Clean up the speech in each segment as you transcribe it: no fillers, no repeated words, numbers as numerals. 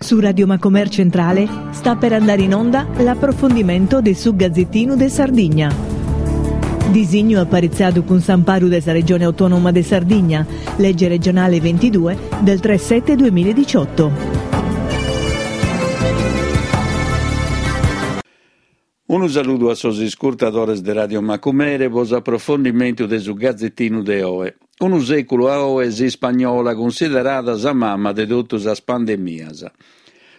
Su Radio Macomer Centrale sta per andare in onda l'approfondimento de su Gazzettinu de Sardigna. Disignu aparitzadu cun s'amparu de sa Regione Autonoma de Sardigna, Legge regionale 22 del 3 7 2018. Unu saludu a sos iscurtadores de Radio Macumere pro s'aprofondimentu de su Gazetinu de oe. Unu sèculu a oe s'ispagnola cunsiderada sa mama de totu sas pandemias.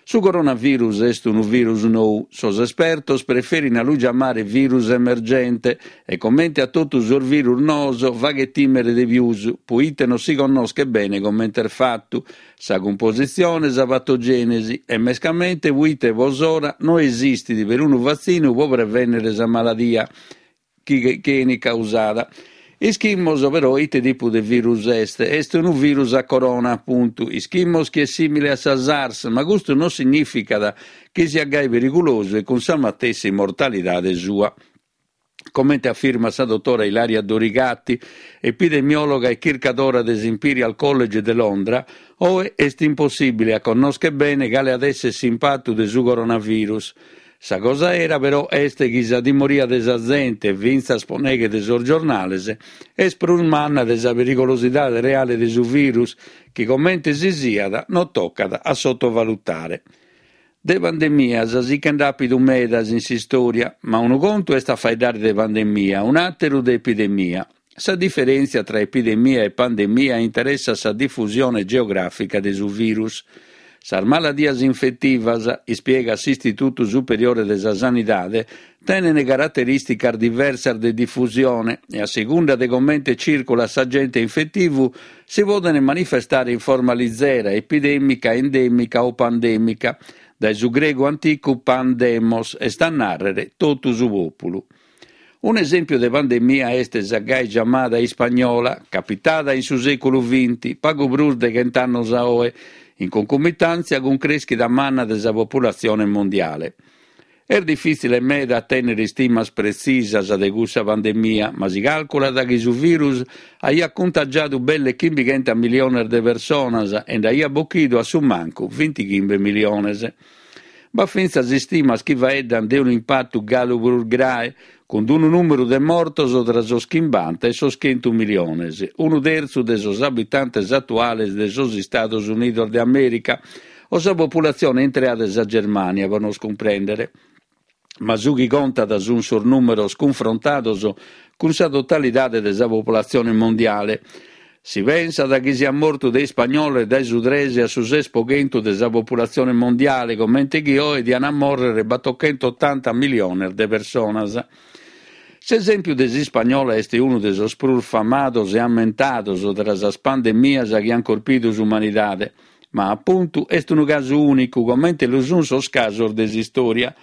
Su coronavirus est unu virus nou, sos espertos preferin a lu giamare virus emergente e comente a totu sos virus noos faghet tìmere de pius, poite non si connoschet bene comente est fatu, sa cumpositzione, sa patogènesi e mescamente poite pro s'ora no esistit perunu vatzinu pro prevènnere sa maladia chi 'enit causada. Ischimos però ite tipu de virus est, est unu virus a corona, apuntu. Ischimos chi est sìmile a sa SARS, ma custu non signìficat chi siat gai perigulosu e cun sa matessi mortalidade sua. Comente afirmat sa dotora Ilaria Dorigatti, epidemiòloga e chircadora de s'Imperial College de Londra, oe est impossìbile a connòschere bene cale at èssere s'impatu de su coronavirus. Sa cosa 'era però est chi sa timoria de sa zente, fintzas pro neghe de sos giornales, est prus manna de sa perigolosidade reale de su virus, chi comente si siat non tocat a sottovalutare. De pandemias si che nd'at àpidu medas in s'istòria, ma unu contu est a faeddare de pandemia, un'àteru de epidemia. Sa diferèntzia tra epidemia e pandemia interessat sa difusione geogràfica de su virus. Sas maladias infetivas, ispiegat s'Istitutu Superiore de sa Sanidade, tenent caraterìsticas diversas de difusione e a segunda de comente cìrculat s'agente infetivu si podent manifestare in forma lizera, epidèmica, endèmica o pandèmica, dae su gregu anticu pan demos, est a nàrrere totu su pòpulu. Un'esèmpiu de pandemia est sa gai giamada ispagnola, capitada in su sèculu vinti, pagu prus de chent'annos a oe, in concomitàntzia cun crèschida manna de sa populatzione mondiale. Est difìtzile meda a tènnere istimas pretzisas de cussa pandemia, ma si càlculat chi su virus aiat cuntagiadu belle chimbichentas miliones de personas e nd'aiat bochidu a su mancu vintichimbe miliones. B'at fintzas istimas chi faeddant de unu impatu galu prus grae, cun unu nùmeru de mortos tra sos chimbanta e sos chentu miliones, unu tertzu de sos abitantes atuales de sos Istados Unidos de Amèrica, o sa populatzione intrea de sa Germània, pro nos cumprèndere. Ma su chi contat sunt sos nùmeros cunfrontados cun sa totalidade de sa populatzione mondiale. Si pensat chi siat mortu de ispagnola dae su tres a su ses pro chentu de sa populatzione mondiale, comente chi oe diant a mòrrere battochentotanta miliones de personas. S'esèmpiu de s'ispagnola est unu de sos prus famados e ammentados tra sas pandemias chi ant corpidu s'umanidade. Ma apuntu est unu casu ùnicu, comente lu sunt sos casos de s'istòria.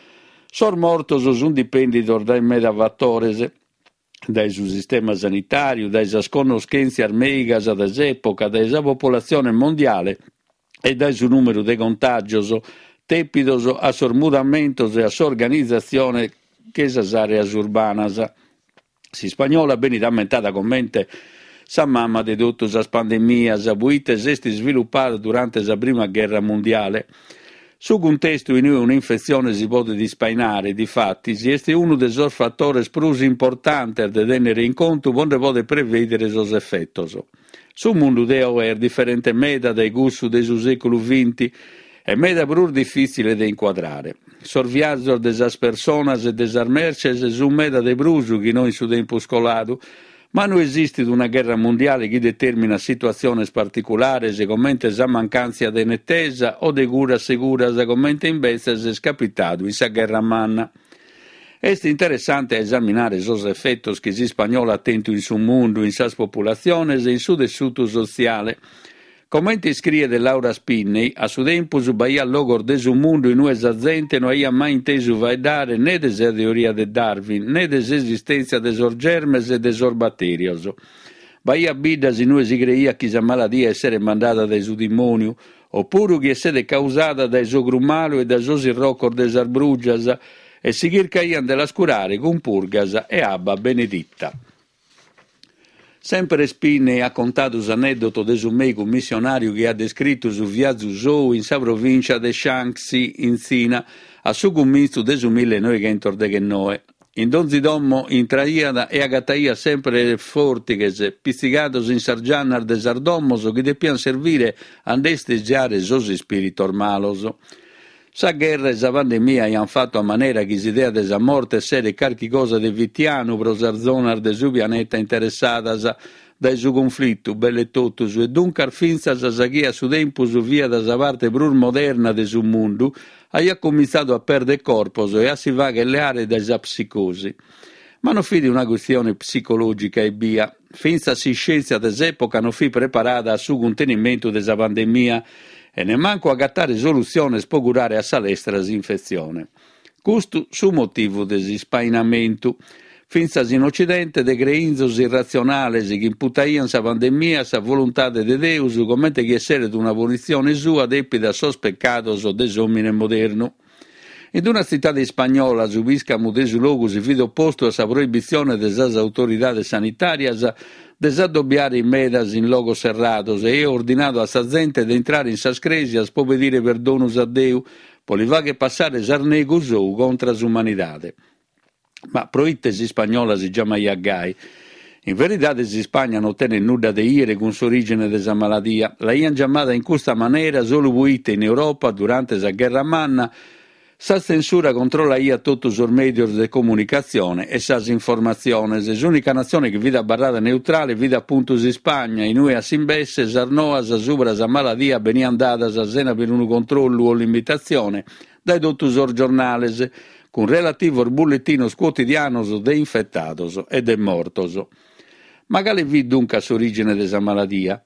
Sos mortos sunt dipèndidos dae meda fatores, dae su sistema sanitàriu, dae sas connoschèntzias mèigas de s'època, dae sa populatzione mondiale e dae su nùmeru de contàgios dèpidos a sos mudamentos e a s'organizatzione de sas àreas urbanas. S'ispagnola benit ammentada comente sa mama de totu sas pandemias, poite s'est isvilupada durante sa prima gherra mundiale. Su cuntestu in ue un'infetzione si podet ispainare, difatis, est unu de sos fatores prus importantes de tènnere in contu pro nde poder prevèdere sos efetos. Su mundu de oe est diferente meda dae cussu de su sèculu vinti e meda prus difìtzile de incuadrare. Sos viazos de sas personas e de sas merces sunt meda de prus chi no in su tempus coladu, ma no esistit una gherra mundiale chi determinat situatziones particulares comente sa mancàntzia de netesa o de curas seguras comente imbetzes est capitadu in sa Gherra Manna. Est interessante a esaminare sos efetos chi s'ispagnola at tentu in su mundu, in sas populatziones e in su tessutu sotziale. Comente iscriet Laura Spinney, a su tempus b'aiat logos de su mundu in ue sa zente no aiat mai intesu faeddare ne de sa teoria de Darwin, ne de s'esistèntzia de sos germes e de sos batèrios. B'aiat biddas in ue si creiat chi sa maladia esseret mandada dae su dimòniu, o puru chi esseret causada dae s'ogru malu e dae sos irrocos de sas brùgias, e si chircaiant de las curare cun purgas e abba beneditta. Semper Spinney at contadu s'anèddoto de su mèigu missionàriu chi at descritu su viazu sou in sa provìncia de Shaanxi, in Tzina, a su cumintzu de su millenoighentosdeghennoe. In donzi domo intraiat e agataiat semper fòrtighes pitzigados in sas giannas de sas domos chi depiant servire a nde istesiare sos ispìritos malos. Sa gherra e sa pandemia aiant fatu a manera chi s'idea de sa morte esseret carchi cosa de fitianu pro sas zonas de su pianeta interessadas dae su cunflitu, belle totus, e duncas fintzas sa chi a su tempus fiat sa parte prus moderna de su mundu, aiat comintzadu a pèrdere corpos e a si fàghere leare dae sa psicosi. Ma non fit una custione psicològica ebbia. Fintzas s'iscièntzia de s'època non fit preparada a su cuntenimentu de sa pandemia e nemmancu a agatare solutziones pro curare a sa lestra s'infetzione. Custu su motivu de s'ispainamentu, fintzas in Ocidente, de creinzos irratzionales chi imputaiant sa pandemia a sa voluntade de Deus comente chi esseret una punitzione sua dèpida a sos pecados de s'òmine modernu. In una tzitade ispagnola su pìscamu de su logu si fit opostu a sa proibitzione de sas autoridades sanitàrias de s'addobiare in medas in logos serrados e aiat ordinadu a sa zente de intrare in sas crèsias pro pedire perdonus a Deu pro li fagher passare s'arnegu sou contra s'umanidade. Ma pro ite s'ispagnola si giamaiat gai? In veridade s'Ispagna non tenet nudda de 'ìere cun s'orìgine de sa maladia. L'aiant giamada in custa manera solu proite in Europa, durante sa Gherra Manna, sa tzensura controllaiat totu sos mèdios de comunicatzione e sas informatziones. S'ùnica natzione chi fit abarrada neutrale fit apuntu s'Ispagna, in ue a s'imbesse sas noas subra sa maladia beniant dadas sena perunu controllu o limitatzione dae totu sos giornales, cun relativos bulletinos cuotidianos de infetados e de mortos. Ma cale fit duncas s'orìgine de sa maladia?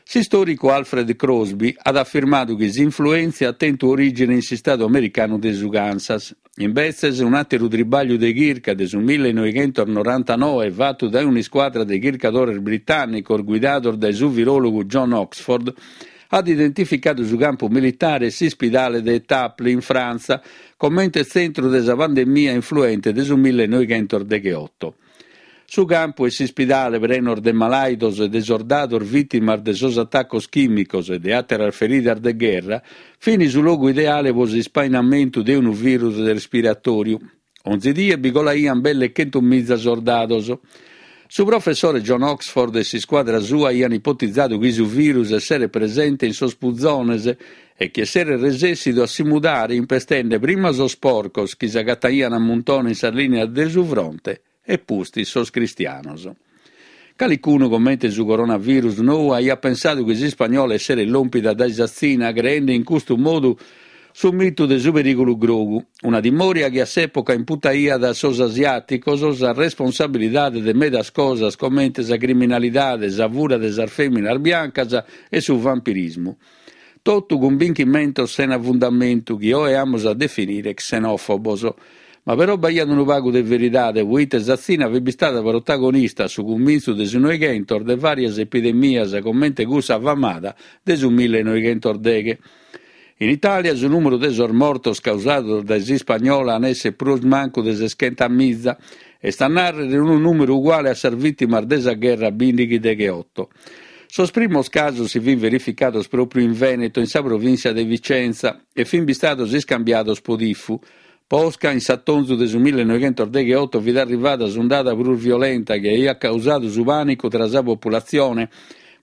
S'istòricu Alfred Crosby at afirmadu chi s'influèntzia at tentu orìgine in s'istadu americanu de su Kansas. Imbetzes, un'àteru tribàgliu de chirca de su millenoighentosnorantanoe fatu dae un'iscuadra de chircadores britànnicos guidados dae su viròlogu John Oxford at identificadu su campu militare e s'ispidale de Étaples in Frantza comente tzentru de sa pandemia influente de su millenoighentosdegheoto. Su campu e s'ispidale prenos de malàidos e de sordados vìtimas de sos atacos chìmicos e de àteras feridas de gherra fin su logu ideale pro s'ispainamentu de unu virus respiratòriu. Onzi die bi colaiant belle chentumiza sordados. Su professore John Oxford e s'iscuadra sua aiant ipotizadu chi su virus esseret presente in sos puzones e chi esseret resèssidu a si mudare impestende prima sos porcos chi s'agataiant a muntone in sas lìnias de su fronte e pustis sos cristianos. Calicunu, comente su coronavirus nou, aiat pensadu chi s'ispagnola esseret lòmpida dae sa Tzina, creende in custu modu su mitu de su perìgulu grogu, una timòria chi a s'època imputaiat a sos asiàticos sa responsabilidade de medas cosas comente sa criminalidade, sa fura de sas fèminas biancas e su vampirismu. Totu cumbinchimentos sena fundamentu chi oe amus a definire xenòfobos. Ma però b'aiat unu pagu de veridade, proite sa Tzina fit bistada protagonista a su cumintzu de su Noighentos de vàrias epidemias comente cussa famada de su millenoighentosdeghe. In Itàlia su nùmeru de sos mortos causados dae s'ispagnola an esser prus mancu de seschentamiza, est a nàrrere unu nùmeru uguale a sas vìtimas de sa gherra bìndighi-degheoto. Sos primos casos si fin verificados pròpriu in Veneto, in sa provìntzia de Vicenza, e fin bistados iscambiados po tifu. Posca, in s'atonzu de su millenoighentosdegheoto fit arrivada s'undada prus violenta chi aiat causadu su pànicu tra sa populatzione,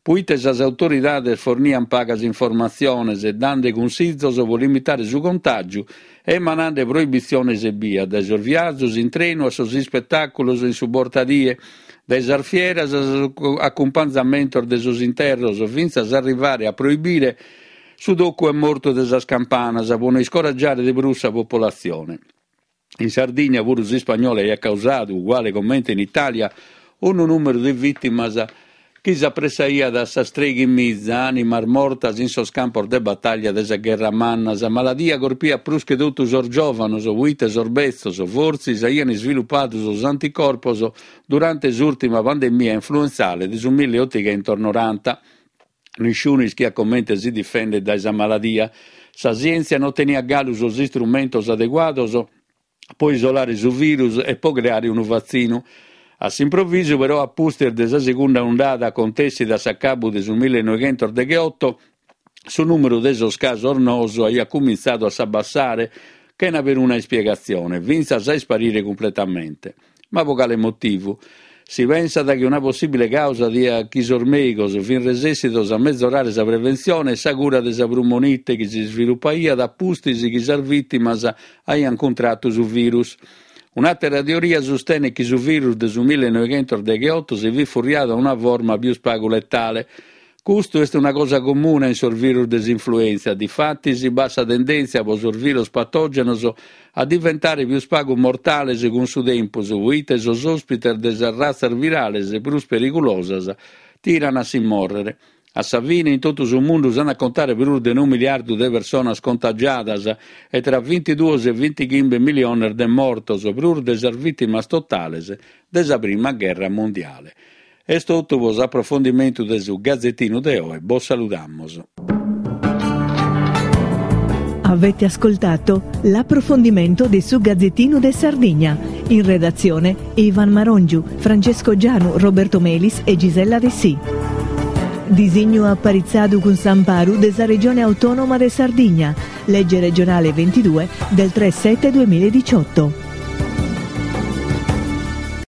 puite sas autoridades forniant pagas informatziones, dande cunsizos po limitare su contàgiu e emanande proibitziones ebbia, dae sos viazos in trenu a sos ispetàculos in su bortadie, dae sas fieras a sos acumpanzamentos de sos interros, fintzas a arrivare a proibire su tocu 'e mortu de sas campanas pro no iscoragiare de prus sa popolatzione. In Sardigna puru s'ispagnola aiat causadu, uguale comente in Itàlia, unu nùmeru de vìtimas chi s'apressaiat a sas treighimiza ànimas mortas in sos campos de batàllia de sa Gherra Manna. Sa maladia corpiat prus che totu sos giòvanos, proite sos betzos, fortzis, aiant isvilupadu sos anticorpos durante s'ùrtima pandemia influentzale de su milliotighentosnoranta. Nisciunu ischiat comente si difender dae sa maladia. Sa sièntzia non teniat galu sos istrumentos adeguados pro isolare su virus e pro creare unu vatzinu. A s'improvisu però a pustis de sa segunda undada acontèssida a s'acabu de su millenoighentosdegheoto, su nùmeru de sos casos noos aiat cumintzadu a s'abbassare chena peruna ispiegatzione, fintzas a isparire cumpletamente. Ma pro cale motivu? Si pensat chi una possìbile càusa diat chi sos mèigos fin resèssidos a mezorare sa preventzione e sa cura de sa prumonite chi s'isvilupaiat a pustis chi sas vìtimas aiant cuntratu su virus. Un'àtera teoria sustenet chi su virus de su millenoighentosdegheoto si fit furriadu a una forma pius pagu letale. Custu est una cosa comuna in sos virus de s'influèntzia, difatis b'at sa tendèntzia pro sos virus patògenos a diventare pius pagu mortales cun su tempus, proite sos òspites de sas ratzas virales prus perigulosas tiran a si mòrrere. A sa fine, in totu su mundu s'ant a contare prus de unu miliardu de personas contagiadas e tra bintiduos e bintighimbe miliones de mortos, prus de sas vìtimas totales de sa prima gherra mundiale. Est totu pro s'aprofondimentu de su Gazetinu de oe, bos saludamus. Avete ascoltato l'approfondimento de su Gazzettino de Sardigna. In redazione Ivan Marongiu, Francesco Gianu, Roberto Melis e Gisella Dessì. Disignu aparitzadu cun s'amparu de sa Regione Autonoma de Sardigna, legge regionale 22 del 3 7 2018.